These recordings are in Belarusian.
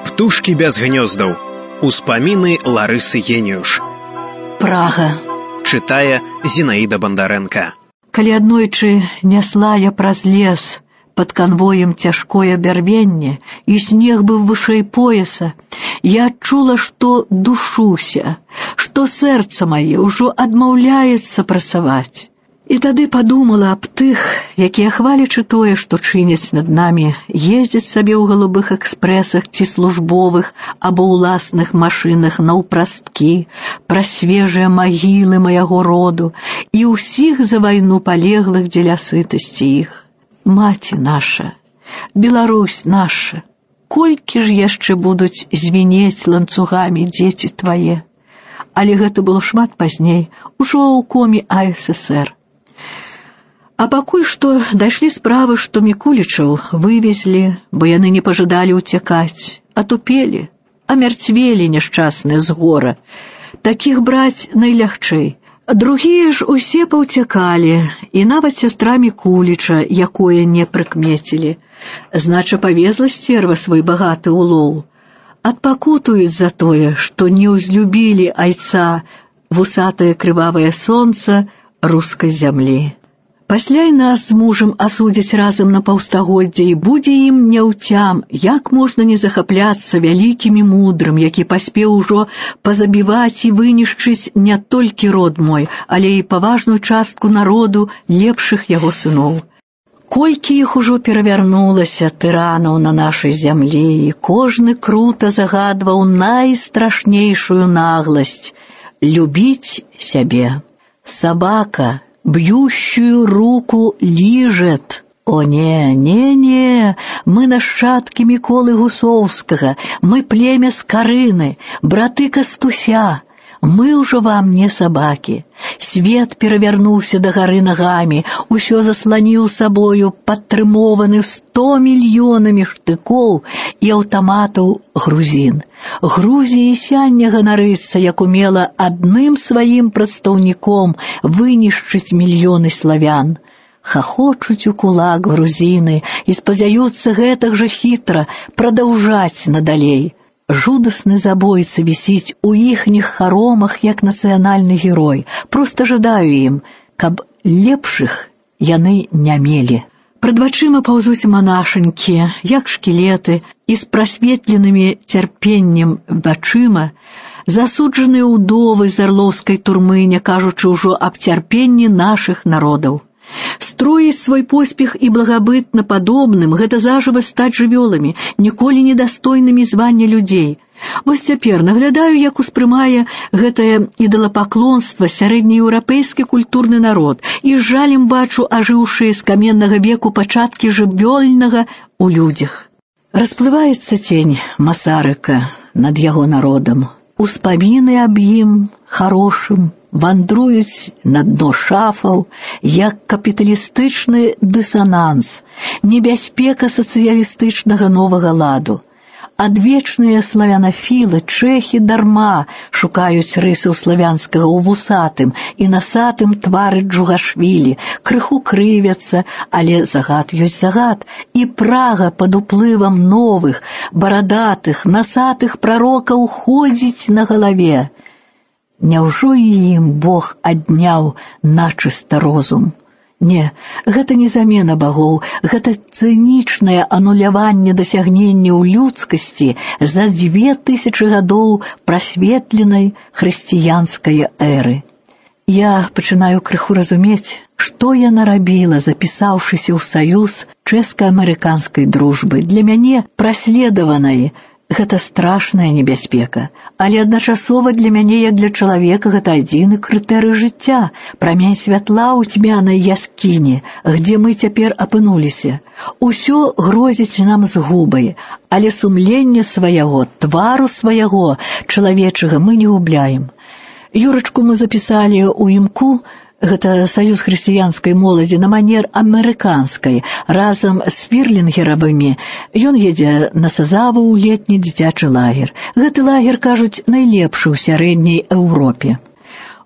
Птушкі без гнёздаў. Успаміны Ларысы Геніюш. Прага. Чытае Зінаіда Бандарэнка. Калі аднойчы нясла я праз лес пад канвоем цяжкое бярвенне, і снег быў вышэй пояса, я адчула, што душуся, што сэрца мае ўжо адмаўляецца працаваць. І тады падумала аб тых, якія, хвалячы тое, што чыняць над намі, ездзяць сабе ў галубых экспрэсах ці службовых або ўласных машынах наўпрасткі, пра свежыя магілы майго роду і ўсіх за вайну палеглых дзеля сытасці іх. Маці наша, Беларусь наша, колькі ж яшчэ будуць звінець ланцугамі дзеці твае? Але гэта было шмат пазней, ужо ў коме АССР. А пакуль што дайшлі справы, што Мікулічаў вывезлі, бо яны не пажадалі ўцякаць, атупелі, амярцвелі няшчасныя з гора. Такіх браць найлягчэй. Другія ж усе паўцякалі, і нават сястра Мікуліча, якое не прыкмецілі. Знача, павезла сцерва свой багаты улоў. Адпакутуюць за тое, што не ўзлюбілі айца вусатае крывавае сонца рускай зямлі. Пасля і нас з мужам асудзяць разам на паўстагоддзя, і будзе ім няўцям, як можна не захапляцца вялікім і мудрым, які паспеў ужо пазабіваць і вынішчыць не толькі род мой, але і паважную частку народу лепшых яго сыноў. Колькі іх ужо перавярнулася тыранаў на нашай зямлі, і кожны крута загадваў найстрашнейшую нагласць — любіць сябе. Сабака б'ющую руку ліжет. О, не, мы нашчадкі Міколы Гусоўскага, мы племя Скарыны, браты Кастуся. Мы ўжо вам не сабакі. Свет перавярнуўся дагары нагамі, усё засланіў сабою падтрымованы 100 мільёнамі штыкоў і аўтаматаў грузін. Грузія сяння ганарыцца, як умела адным сваім прадстаўніком вынішчыць мільёны славян. Хахочуць у кулак грузіны і спадзяюцца гэтак жа хітра прадаўжаць надалей. Жудасны забойца вісіць у іхніх харомах, як нацыянальны герой. Проста жадаю ім, каб лепшых яны не мелі. Прад вачыма паўзуць манашанькі, як шкілеты, і з прасветленымі цярпеннем вачыма засуджаныя ўдовы з арлоўскай турмы, не кажучы ўжо аб цярпенні нашых народаў. Строіць свой поспех і благабытна падобным — гэта зажыва стаць жывёламі, ніколі недастойнымі звання людзей. Вось цяпер наглядаю, як успрымае гэтае ідалапаклонства сярэднееўрапейскі культурны народ, і з жалем бачу ажыўшыя з каменнага веку пачаткі жывёльнага ў людзях. Расплываецца цень Масарыка над яго народам. Успаміны аб ім харошым вандруюць на дно шафаў, як капіталістычны дысананс, небяспека сацыялістычнага новага ладу. Адвечныя славянафілы, чэхі дарма шукаюць рысаў славянскага ў вусатым і насатым твары Джугашвілі, крыху крывяцца, але загад ёсць загад, і Прага пад уплывам новых, барадатых, насатых прарокаў ходзіць на галаве. Няўжо і ім Бог адняў начыста розум? Не, гэта не замена багоў, гэта цынічнае ануляванне дасягненняў людскасці за 2000 гадоў прасветленай хрысціянскай эры. Я пачынаю крыху разумець, што яна рабіла, запісаўшыся ў саюз чэшска-амерыканскай дружбы. Для мяне праследаванай гэта страшная небяспека, але адначасова для мяне, як для чалавека, гэта адзіны крытэрый жыцця, прамень святла ў цьмянай яскіні, где мы цяпер апынуліся. Усё грозіць нам згубай, але сумленне свайго, твару свайго чалавечага мы не губляем. Юрачку мы запісалі ў імку, гэта саюз хрысціянскай моладзі, на манер амерыканскай, разам з фірлінгеравымі. Ён едзе на Сазаву ў летні дзіцячы лагер. Гэты лагер, кажуць, найлепшы ў сярэдняй Еўропе.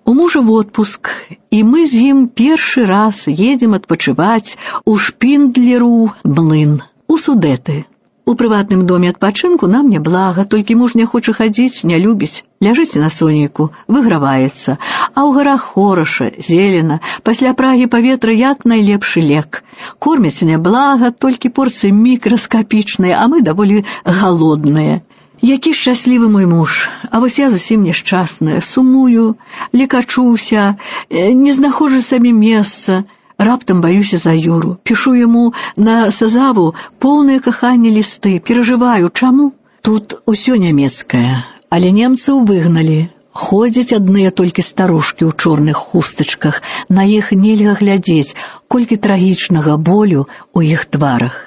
У мужа водпуск, і мы з ім першы раз едзем адпачываць у Шпіндлеру млын, у Судэты. У У прыватным доме адпачынку нам няблага, толькі муж не хоча хадзіць, не любіць. Ляжыць на сонейку, выграваецца. А ў гарах хораша, зелена, пасля прагі паветра як найлепшы лек. Кормяць няблага, толькі порцыі мікраскапічныя, а мы даволі галодныя. Які шчаслівы мой муж, а вось я зусім няшчасная, сумую, лекачуся, не знаходжу сабе месца. Раптам баюся за Юру, пішу яму на сазаву поўныя кахання лісты, перажываю, чаму? Тут усё нямецкае, але немцаў выгналі. Ходзяць адныя толькі старушкі ў чорных хустачках, на іх нельга глядзець, колькі трагічнага болю ў іх тварах.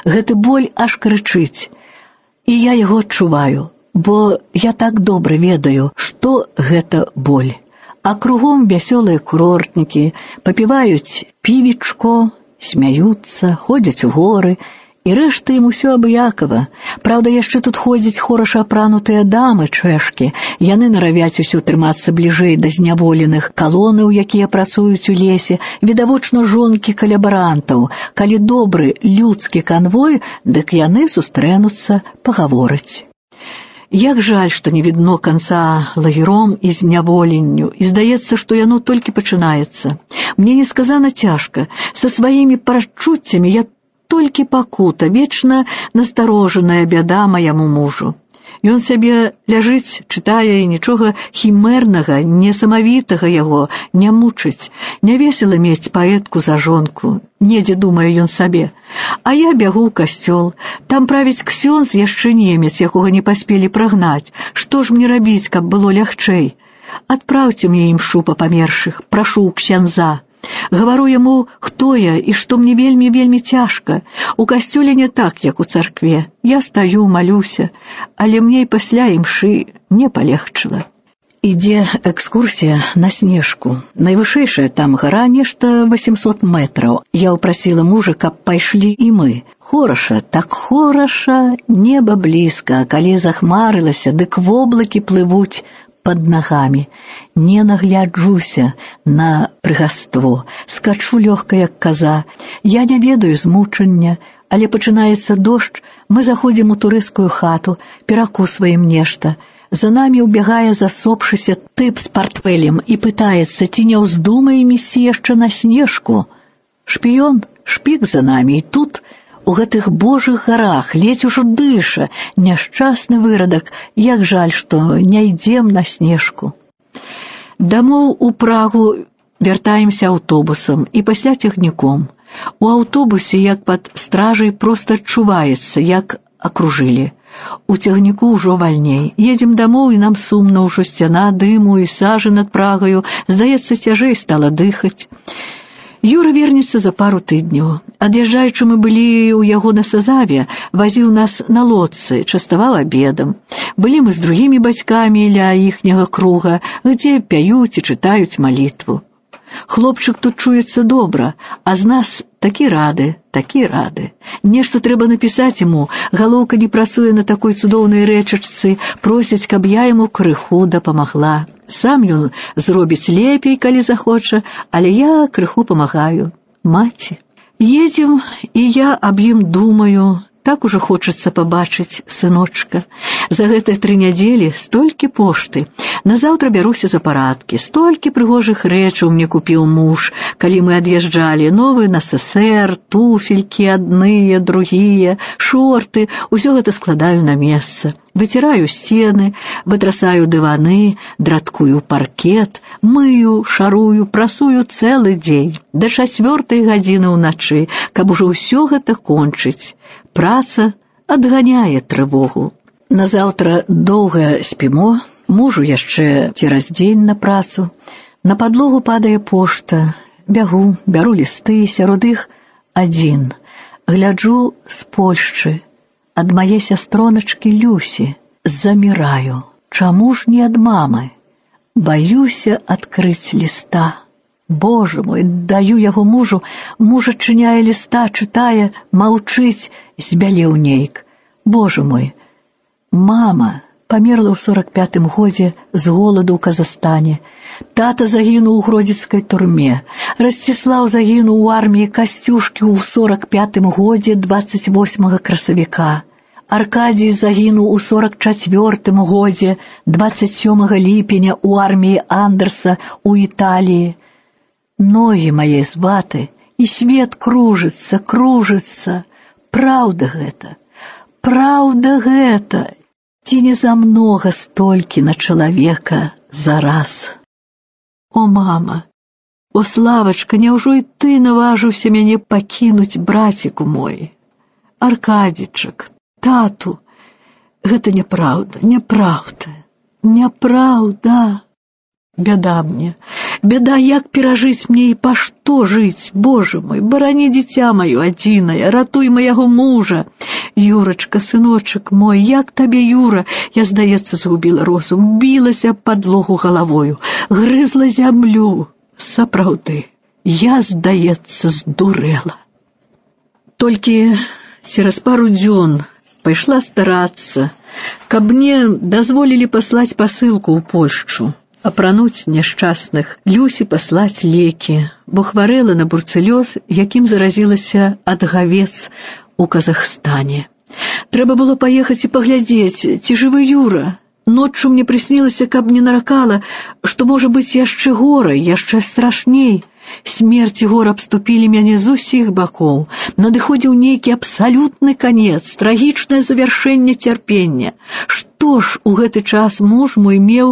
Гэты боль аж крычыць. І я яго адчуваю, бо я так добра ведаю, што гэта боль. А кругом вясёлыя курортнікі, папіваюць півечко, смяюцца, ходзяць у горы, і рэшта ім усё абыякава. Праўда, яшчэ тут ходзяць хораша апранутыя дамы, чэшкі. Яны наравяць усё трымацца бліжэй да зняволеных, калонаў, якія працуюць у лесе, відавочна жонкі калябарантаў. Калі добры людскі канвой, дык яны сустрэнуцца пагавораць. Як жаль, што не відно канца лагером і зняволенню, і здаецца, што яно толькі пачынаецца. Мне несказана цяжка. Са сваімі пачуццямі я толькі пакута, вечна насторожаная бяда маяму мужу. Ён сябе ляжыць, чытае, і нічога хімернага, несамавітага яго не мучыць. Нявесела мець паэтку за жонку, недзе думае ён сабе. А я бягу ў касцёл, там правіць ксёндз яшчэ немец, якога не паспелі прагнаць. Што ж мне рабіць, каб было лягчэй? Адпраўце мне імшу па памершых, прашу ў ксяндза. Гавару яму, хто я і што мне вельмі цяжка. У касцёле не так, як у царкве. Я стаю, малюся, але мне і пасля імшы не палегчыла. Ідзе экскурсія на Снежку. Найвышэйшая там гара, нешта 800 метраў. Я ўпрасіла мужа, каб пайшлі і мы. Хораша, так хораша, неба блізка, а калі захмарылася, дык воблакі плывуць пад нагамі. Не нагляджуся на прыгаство, скачу лёгка, як каза. Я не ведаю змучання, але пачынаецца дождж, мы заходзім у турысцкую хату, перакусваем нешта. За намі ўбягае засопшыся тып з партфелем і пытаецца, ці не ўздумаем ісці яшчэ на Снежку. Шпіён, шпік за намі, і тут у гэтых божых гарах ледзь ужо дыша, няшчасны вырадак, як жаль, што не ідзем на Снежку. Дамоў у Прагу вяртаемся аўтобусам і пасля цягніком. У аўтобусе, як пад стражай, проста адчуваецца, як акружылі. У цягніку ўжо вальней. Едзем дамоў, і нам сумна, ўжо сцяна дыму і сажы над Прагаю. Здаецца, цяжэй стала дыхаць. Юра вернецца за пару тыдняў. Ад'язджаючы мы былі ў яго на сазаве, вазіў нас на лодцы, частаваў абедам. Былі мы з другімі бацькамі ля іхняга круга, дзе пяюць і чытаюць малітву. Хлопчык тут чуецца добра, а з нас такі рады. Нешта трэба напісаць яму, галоўка не працуе на такой цудоўнай рэчачцы, просяць, каб я яму крыху дапамагла. Сам ён зробіць лепей, калі захоча, але я крыху памагаю. Маці. Едзем, і я аб ім думаю. Так ужо хочацца пабачыць сыночка. За гэтыя 3 нядзелі столькі пошты. Назаўтра бяруся за парадкі. Столькі прыгожых рэчаў мне купіў муж, калі мы ад'язджалі. Новы НССР, туфелькі адныя, другія, шорты. Усё гэта складаю на месца. Выціраю сцены, вытрасаю дываны, драткую паркет, мыю, шарую, прасую цэлы дзень. Да 4 гадзіны ўначы, каб ужо ўсё гэта кончыць. Праца адганяе трывогу. Назаўтра доўга спімо, мужу яшчэ цераз дзень на працу. На падлогу падае пошта. Бягу, бяру лісты, сярод іх адзін. Гляджу з Польшчы. Ад мае сястроначкі Люсі. Заміраю. Чаму ж не ад мамы? Баюся адкрыць ліста. Боже мой, даю яго мужу, муж адчыняе ліста, чытае, маўчыць, збялеў нейк. Боже мой, мама памерла ў 45-м годзе з голаду ў Казахстане. Тата загінуў у гродзенскай турме. Расціслаў загінуў у арміі Касцюшкі ў 45-м годзе 28 красавіка. Аркадій загінуў у 44-м годзе 27 ліпеня ў арміі Андерса ў Італіі. Ногі мае зваты, і свет кружыцца, кружыцца. Праўда гэта, праўда гэта. Ці не замнога столькі на чалавека зараз? О, мама, о, Славачка, няўжо і ты наважыўся мяне пакінуць, браціку мой? Аркадзічак, тату, гэта няпраўда, няпраўда, няпраўда. Бяда мне, бяда, як перажыць мне і па што жыць? Боже мой, барані дзіця маё адзінае, ратуй маяго мужа. Юрачка, сыночак мой, як табе, Юра? Я, здаецца, згубіла розум, білася аб падлогу галавою, грызла зямлю. Сапраўды, я, здаецца, здурэла. Толькі цераз пару дзён пайшла старацца, каб мне дазволілі паслаць пасылку ў Польшчу, апрануць няшчасных, Люсі паслаць лекі, бо хварэла на бурцэлёз, якім заразілася ад гавец у Казахстане. Трэба было паехаць і паглядзець, ці жывы Юра. Ноччу мне прыснілася, каб не наракала, што можа быць яшчэ горай, яшчэ страшней. Смерць і гор абступілі мяне з усіх бакоў. Надыходзіў нейкі абсалютны канец, трагічнае завяршэнне цярпення. Што ж у гэты час муж мой меў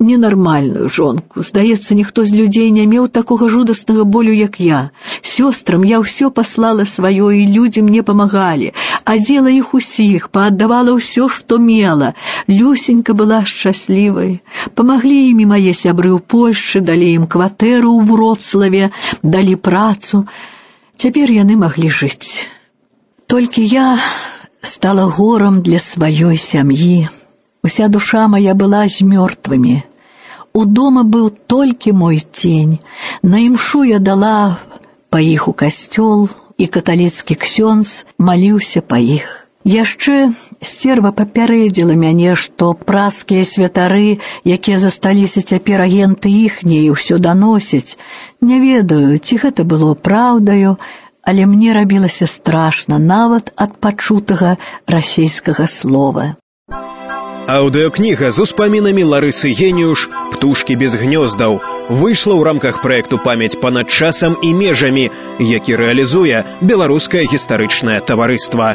ненармальную жонку. Здаецца, ніхто з людзей не меў такога жудаснага болю, як я. Сёстрам я ўсё паслала сваё, і людзі мне памагалі. Адзела іх усіх, пааддавала ўсё, што мела. Люсенька была шчаслівай. Памаглі імі мае сябры ў Польшчы, далі ім кватэру ў Вроцлаве, далі працу. Цяпер яны маглі жыць. Толькі я стала горам для сваёй сям'і. Уся душа моя была з мёртвымі. У дома быў толькі мой цень. На імшу я дала па іх у касцёл, і каталіцкі ксёндз маліўся па іх. Яшчэ сцерва папярэдзіла мяне, што праскія святары, якія засталіся цяпер агенты іхняе, ўсё даносяць. Не ведаю, ці гэта было праўдаю, але мне рабілася страшна нават ад пачутага расейскага слова. Аўдыокніга з успамінамі Ларысы Геніюш «Птушкі без гнёздаў» выйшла ў рамках праекту «Памяць панад часам і межамі», які рэалізуе Беларускае гістарычнае таварыства.